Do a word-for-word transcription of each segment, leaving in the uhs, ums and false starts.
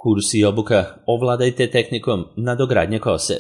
Kurs i obuka ovladajte tehnikom nadogradnje kose.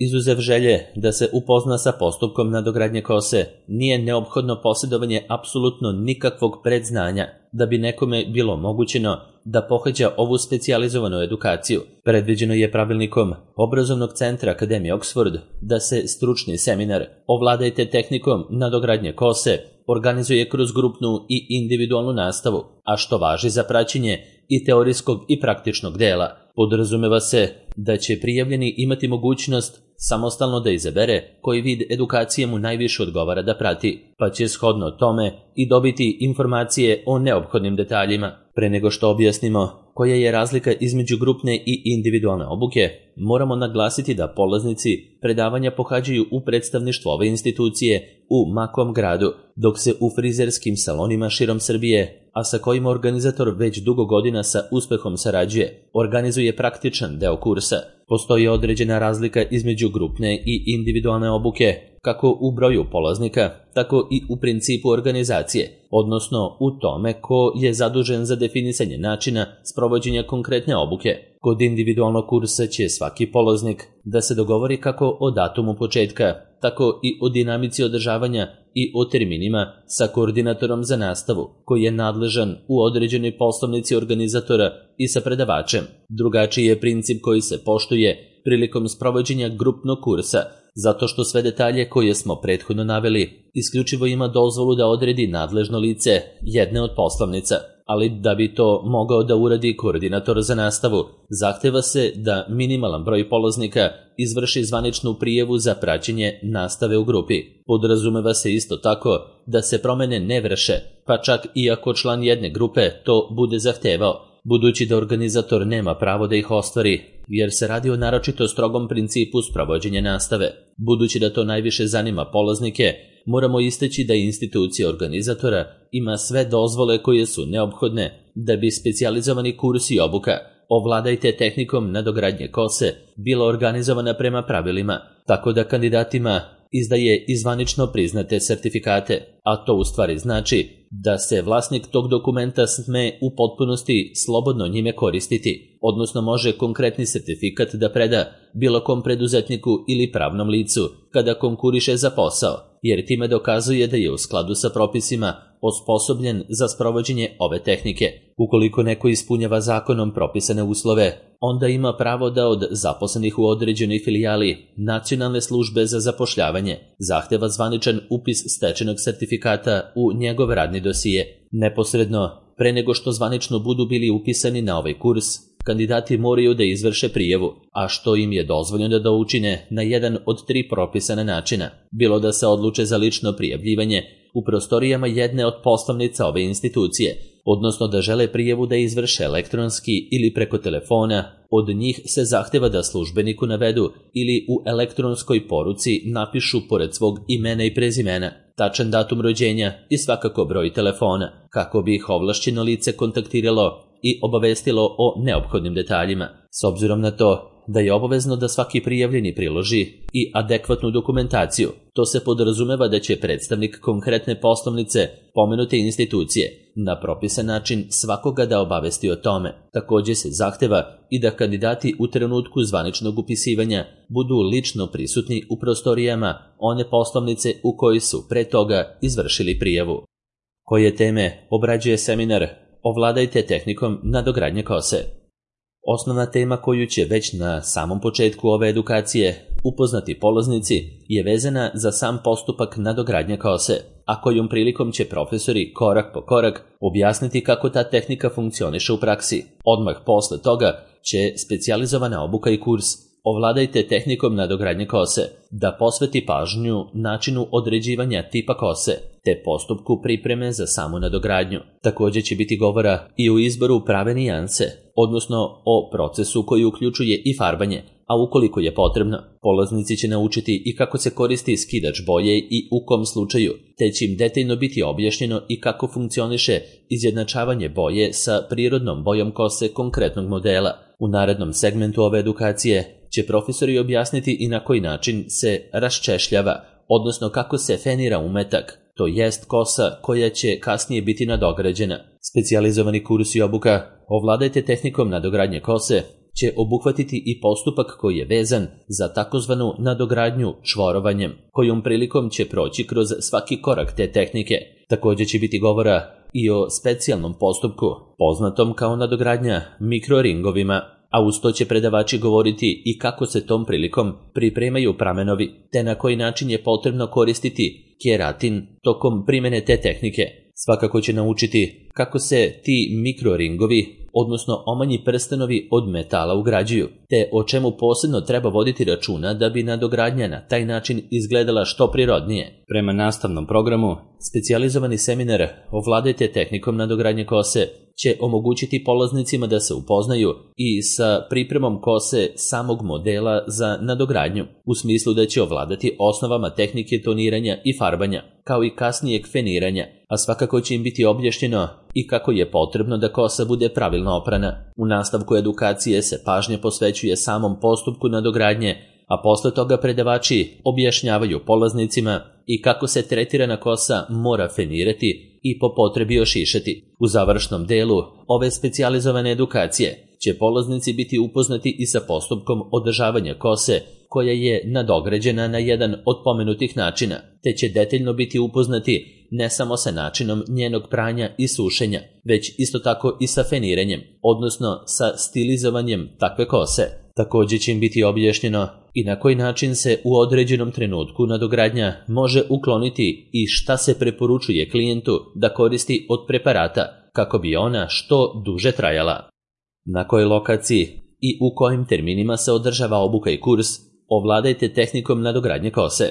Izuzev želje da se upozna sa postupkom nadogradnje kose, nije neophodno posjedovanje apsolutno nikakvog predznanja da bi nekome bilo omogućeno da pohađa ovu specijalizovanu edukaciju. Predviđeno je pravilnikom Obrazovnog centra Akademije Oxford da se stručni seminar ovladajte tehnikom nadogradnje kose organizuje kroz grupnu i individualnu nastavu, a što važi za praćenje i teorijskog i praktičnog dela. Podrazumeva se da će prijavljeni imati mogućnost samostalno da izabere koji vid edukacije mu najviše odgovara da prati, pa će shodno tome i dobiti informacije o neophodnim detaljima. Pre nego što objasnimo koja je razlika između grupne i individualne obuke, moramo naglasiti da polaznici predavanja pohađaju u predstavništvu ove institucije u makom gradu, dok se u frizerskim salonima širom Srbije, a sa kojima organizator već dugo godina sa uspehom sarađuje, organizuje praktičan deo kursa. Postoji određena razlika između grupne i individualne obuke, kako u broju polaznika, tako i u principu organizacije, odnosno u tome ko je zadužen za definisanje načina sprovođenja konkretne obuke. Kod individualnog kursa će svaki polaznik da se dogovori kako o datumu početka, tako i o dinamici održavanja i o terminima sa koordinatorom za nastavu, koji je nadležan u određenoj poslovnici organizatora i sa predavačem. Drugačiji je princip koji se poštuje prilikom sprovođenja grupnog kursa, zato što sve detalje koje smo prethodno naveli isključivo ima dozvolu da odredi nadležno lice jedne od poslovnica, ali da bi to mogao da uradi koordinator za nastavu, zahteva se da minimalan broj polaznika izvrši zvaničnu prijavu za praćenje nastave u grupi. Podrazumeva se isto tako da se promene ne vrše, pa čak i ako član jedne grupe to bude zahtevao, budući da organizator nema pravo da ih ostvari, jer se radi o naročito strogom principu sprovođenja nastave. Budući da to najviše zanima polaznike, moramo istaći da institucija organizatora ima sve dozvole koje su neophodne da bi specijalizovani kurs i obuka ovladajte tehnikom nadogradnje kose bila organizovana prema pravilima, tako da kandidatima izdaje i zvanično priznate sertifikate, a to u stvari znači da se vlasnik tog dokumenta sme u potpunosti slobodno njime koristiti, odnosno može konkretni sertifikat da preda bilo kom preduzetniku ili pravnom licu kada konkuriše za posao, jer time dokazuje da je u skladu sa propisima osposobljen za sprovođenje ove tehnike. Ukoliko neko ispunjava zakonom propisane uslove, onda ima pravo da od zaposlenih u određenoj filijali Nacionalne službe za zapošljavanje zahteva zvaničan upis stečenog sertifikata u njegov radni dosije. Neposredno, pre nego što zvanično budu bili upisani na ovaj kurs, kandidati moraju da izvrše prijavu, a što im je dozvoljeno da učine na jedan od tri propisana načina, bilo da se odluče za lično prijavljivanje u prostorijama jedne od poslovnica ove institucije, odnosno da žele prijavu da izvrše elektronski ili preko telefona, od njih se zahteva da službeniku navedu ili u elektronskoj poruci napišu pored svog imena i prezimena tačan datum rođenja i svakako broj telefona, kako bi ih ovlašćeno lice kontaktiralo i obavestilo o neophodnim detaljima. S obzirom na to da je obavezno da svaki prijavljeni priloži i adekvatnu dokumentaciju, to se podrazumeva da će predstavnik konkretne poslovnice pomenute institucije na propisan način svakoga da obavesti o tome. Također se zahteva i da kandidati u trenutku zvaničnog upisivanja budu lično prisutni u prostorijama one poslovnice u kojoj su pre toga izvršili prijavu. Koje teme obrađuje seminar ovladajte tehnikom nadogradnje kose? Osnovna tema koju će već na samom početku ove edukacije upoznati polaznici je vezana za sam postupak nadogradnje kose, a kojom prilikom će profesori korak po korak objasniti kako ta tehnika funkcioniše u praksi. Odmah posle toga će specijalizovana obuka i kurs ovladajte tehnikom nadogradnje kose da posveti pažnju načinu određivanja tipa kose te postupku pripreme za samu nadogradnju. Također će biti govora i o izboru prave nijanse, odnosno o procesu koji uključuje i farbanje, a ukoliko je potrebno, polaznici će naučiti i kako se koristi skidač boje i u kom slučaju, te će im detaljno biti objašnjeno i kako funkcioniše izjednačavanje boje sa prirodnom bojom kose konkretnog modela. U narednom segmentu ove edukacije će profesori objasniti i na koji način se raščešljava, odnosno kako se fenira umetak, to jest kosa koja će kasnije biti nadograđena. Specijalizovani kurs i obuka Ovladajte tehnikom nadogradnje kose će obuhvatiti i postupak koji je vezan za takozvanu nadogradnju čvorovanjem, kojom prilikom će proći kroz svaki korak te tehnike. Također će biti govora i o specijalnom postupku, poznatom kao nadogradnja mikroringovima, a uz to će predavači govoriti i kako se tom prilikom pripremaju pramenovi, te na koji način je potrebno koristiti keratin tokom primjene te tehnike. Svakako će naučiti kako se ti mikroringovi, odnosno omanji prstenovi od metala ugrađuju, te o čemu posebno treba voditi računa da bi nadogradnja na taj način izgledala što prirodnije. Prema nastavnom programu, specijalizovani seminar Ovladajte tehnikom nadogradnje kose će omogućiti polaznicima da se upoznaju i sa pripremom kose samog modela za nadogradnju, u smislu da će ovladati osnovama tehnike toniranja i farbanja, kao i kasnijeg feniranja, a svakako će im biti objašnjeno i kako je potrebno da kosa bude pravilno oprana. U nastavku edukacije se pažnja posvećuje samom postupku nadogradnje, a posle toga predavači objašnjavaju polaznicima i kako se tretirana kosa mora fenirati i po potrebi ošišati. U završnom delu ove specijalizovane edukacije će polaznici biti upoznati i sa postupkom održavanja kose koja je nadograđena na jedan od pomenutih načina, te će detaljno biti upoznati ne samo sa načinom njenog pranja i sušenja, već isto tako i sa feniranjem, odnosno sa stilizovanjem takve kose. Također će im biti objašnjeno i na koji način se u određenom trenutku nadogradnja može ukloniti i šta se preporučuje klijentu da koristi od preparata kako bi ona što duže trajala. Na kojoj lokaciji i u kojim terminima se održava obuka i kurs Ovladajte tehnikom nadogradnje kose.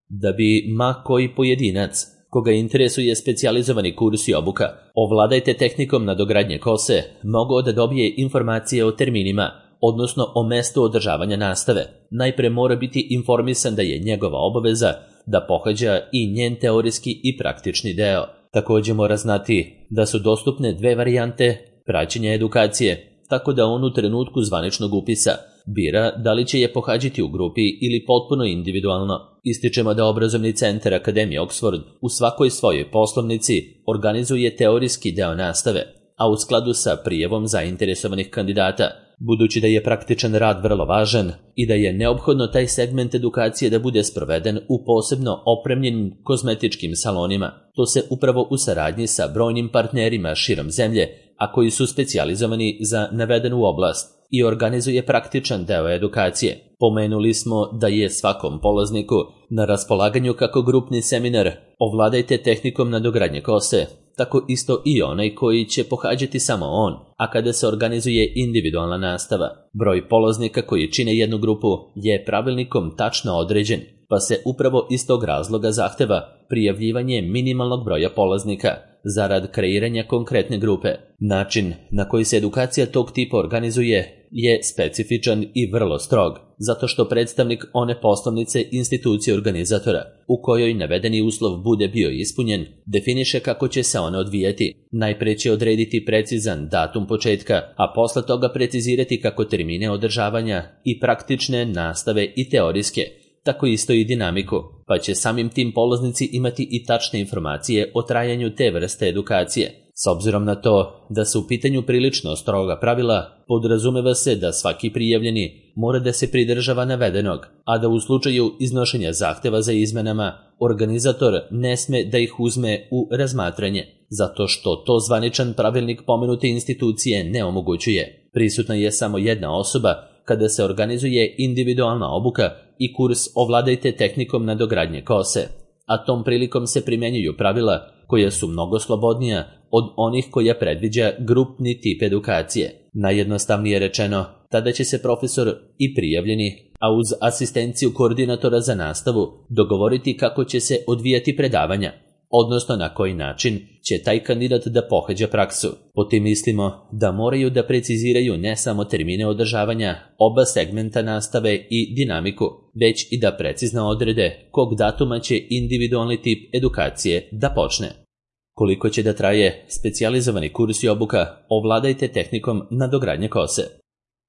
Da bi ma koji pojedinac koga interesuje specijalizovani kurs i obuka Ovladajte tehnikom nadogradnje kose mogao da dobije informacije o terminima, odnosno o mestu održavanja nastave, najpre mora biti informisan da je njegova obaveza da pohađa i njen teorijski i praktični deo. Također mora znati da su dostupne dve varijante praćenja edukacije, tako da on u trenutku zvaničnog upisa bira da li će je pohađati u grupi ili potpuno individualno. Ističemo da obrazovni centar Akademije Oxford u svakoj svojoj poslovnici organizuje teorijski deo nastave, a u skladu sa prijavom zainteresovanih kandidata. Budući da je praktičan rad vrlo važan i da je neophodno taj segment edukacije da bude sproveden u posebno opremljenim kozmetičkim salonima, to se upravo u saradnji sa brojnim partnerima širom zemlje, a koji su specijalizovani za navedenu oblast, i organizuje praktičan deo edukacije. Pomenuli smo da je svakom polazniku na raspolaganju kako grupni seminar Ovladajte tehnikom nadogradnje kose, tako isto i onaj koji će pohađati samo on, a kada se organizuje individualna nastava. Broj polaznika koji čine jednu grupu je pravilnikom tačno određen, pa se upravo iz tog razloga zahteva prijavljivanje minimalnog broja polaznika zarad kreiranja konkretne grupe. Način na koji se edukacija tog tipa organizuje je specifičan i vrlo strog, zato što predstavnik one poslovnice institucije organizatora, u kojoj navedeni uslov bude bio ispunjen, definiše kako će se one odvijati. Najpre će odrediti precizan datum početka, a posle toga precizirati kako termine održavanja i praktične nastave i teorijske, tako isto i dinamiku, pa će samim tim polaznici imati i tačne informacije o trajanju te vrste edukacije. S obzirom na to da su u pitanju prilično stroga pravila, podrazumeva se da svaki prijavljeni mora da se pridržava navedenog, a da u slučaju iznošenja zahteva za izmenama, organizator ne sme da ih uzme u razmatranje, zato što to zvaničan pravilnik pomenute institucije ne omogućuje. Prisutna je samo jedna osoba kada se organizuje individualna obuka i kurs Ovladajte tehnikom nadogradnje kose, a tom prilikom se primjenjuju pravila koja su mnogo slobodnija od onih koja predviđa grupni tip edukacije. Najjednostavnije rečeno, tada će se profesor i prijavljeni, a uz asistenciju koordinatora za nastavu, dogovoriti kako će se odvijati predavanja, odnosno na koji način će taj kandidat da pohađa praksu. Po tim mislimo da moraju da preciziraju ne samo termine održavanja, oba segmenta nastave i dinamiku, već i da precizno odrede kog datuma će individualni tip edukacije da počne. Koliko će da traje specijalizovani kurs i obuka Ovladajte tehnikom nadogradnje kose?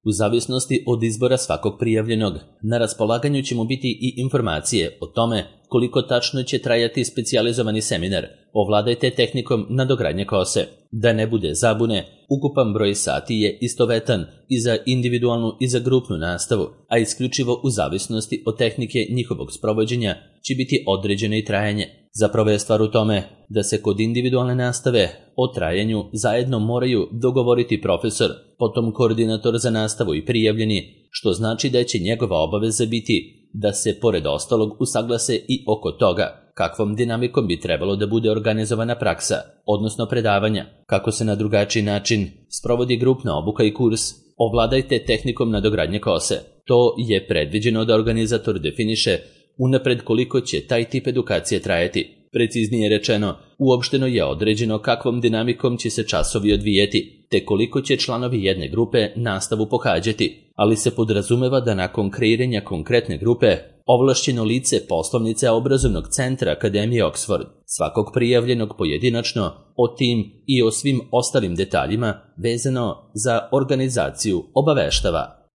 U zavisnosti od izbora svakog prijavljenog, na raspolaganju će mu biti i informacije o tome koliko tačno će trajati specijalizovani seminar Ovladajte tehnikom nadogradnje kose. Da ne bude zabune, ukupan broj sati je istovetan i za individualnu i za grupnu nastavu, a isključivo u zavisnosti od tehnike njihovog sprovođenja će biti određeno i trajanje. Zapravo je stvar u tome da se kod individualne nastave o trajanju zajedno moraju dogovoriti profesor, potom koordinator za nastavu i prijavljeni, što znači da će njegova obaveza biti da se pored ostalog usaglase i oko toga kakvom dinamikom bi trebalo da bude organizovana praksa, odnosno predavanja, kako se na drugačiji način sprovodi grupna obuka i kurs Ovladajte tehnikom nadogradnje kose. To je predviđeno da organizator definiše unapred koliko će taj tip edukacije trajati. Preciznije rečeno, uopšteno je određeno kakvom dinamikom će se časovi odvijeti, te koliko će članovi jedne grupe nastavu pohađati, ali se podrazumeva da nakon kreiranja konkretne grupe, ovlašćeno lice poslovnice obrazovnog centra Akademije Oxford, svakog prijavljenog pojedinačno, o tim i o svim ostalim detaljima vezano za organizaciju obaveštava.